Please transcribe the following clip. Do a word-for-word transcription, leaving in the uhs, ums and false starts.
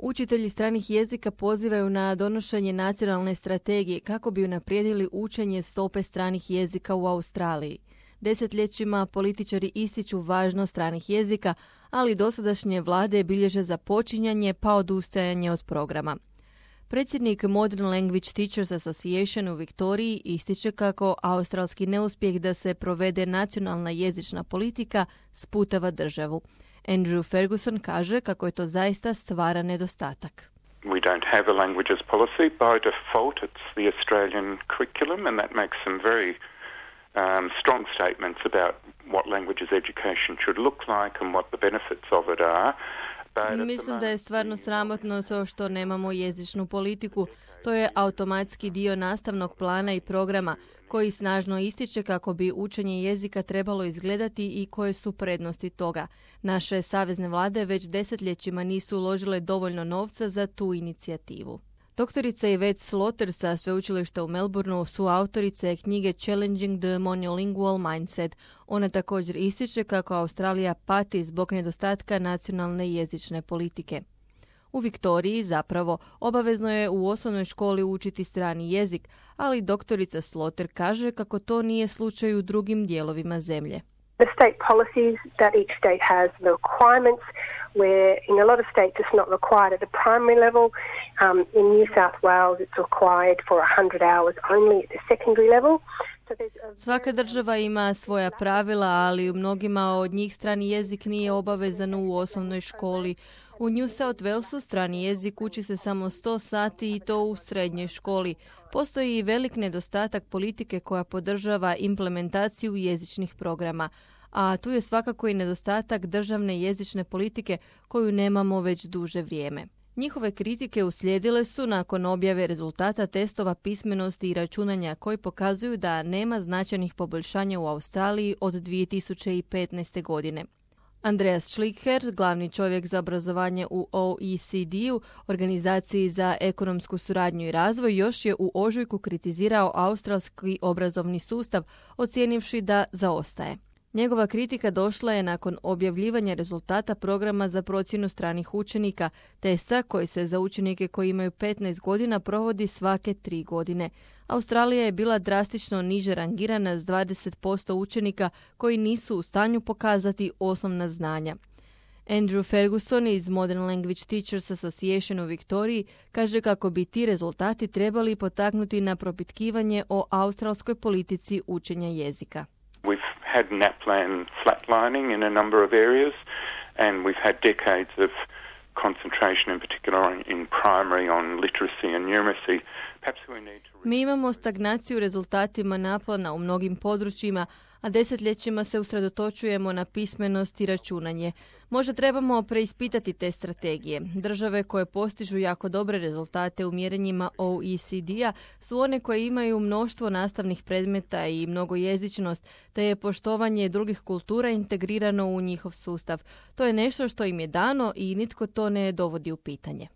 Učitelji stranih jezika pozivaju na donošenje nacionalne strategije kako bi unaprijedili učenje stope stranih jezika u Australiji. Desetljećima političari ističu važnost stranih jezika, ali dosadašnje vlade bilježe započinjanje pa odustajanje od programa. Predsjednik Modern Language Teachers Association u Viktoriji ističe kako australski neuspjeh da se provede nacionalna jezična politika sputava državu. Andrew Ferguson kaže kako je to zaista stvaran nedostatak. We don't have a languages policy. By default, it's the Australian curriculum, and that makes some very um, strong statements about what languages education should look like and what the benefits of it are. Mislim da je stvarno sramotno to što nemamo jezičnu politiku. To je automatski dio nastavnog plana i programa koji snažno ističe kako bi učenje jezika trebalo izgledati i koje su prednosti toga. Naše savezne vlade već desetljećima nisu uložile dovoljno novca za tu inicijativu. Doktorica Yvette Slaughter sa sveučilišta u Melbourneu su autorice knjige Challenging the Monolingual Mindset. Ona također ističe kako Australija pati zbog nedostatka nacionalne jezične politike. U Viktoriji zapravo obavezno je u osnovnoj školi učiti strani jezik, ali doktorica Slaughter kaže kako to nije slučaj u drugim dijelovima zemlje. The state policies that each state has, the requirements, where in a lot of states it's not required at the primary level. Um, in New South Wales it's required for one hundred hours only at the secondary level. Svaka država ima svoja pravila, ali u mnogima od njih strani jezik nije obavezan u osnovnoj školi. U New South Walesu strani jezik uči se samo sto sati i to u srednjoj školi. Postoji i velik nedostatak politike koja podržava implementaciju jezičnih programa, a tu je svakako i nedostatak državne jezične politike koju nemamo već duže vrijeme. Njihove kritike uslijedile su nakon objave rezultata testova pismenosti i računanja koji pokazuju da nema značajnih poboljšanja u Australiji od dvije tisuće petnaeste. godine. Andreas Schlicker, glavni čovjek za obrazovanje u O E C D-u, Organizaciji za ekonomsku suradnju i razvoj, još je u ožujku kritizirao australski obrazovni sustav, ocijenivši da zaostaje. Njegova kritika došla je nakon objavljivanja rezultata programa za procjenu stranih učenika, testa koji se za učenike koji imaju petnaest godina provodi svake tri godine. Australija je bila drastično niže rangirana s dvadeset posto učenika koji nisu u stanju pokazati osnovna znanja. Andrew Ferguson iz Modern Language Teachers Association u Viktoriji kaže kako bi ti rezultati trebali potaknuti na propitkivanje o australskoj politici učenja jezika. We've had NAPLAN flatlining in a number of areas, and we've had decades of concentration in particular in primary on literacy and numeracy. Perhaps we need to... Mi imamo stagnaciju rezultatima NAPLAN-a u mnogim područjima, a desetljećima se usredotočujemo na pismenost i računanje. Možda trebamo preispitati te strategije. Države koje postižu jako dobre rezultate u mjerenjima O E C D-a su one koje imaju mnoštvo nastavnih predmeta i mnogojezičnost, te je poštovanje drugih kultura integrirano u njihov sustav. To je nešto što im je dano i nitko to ne dovodi u pitanje.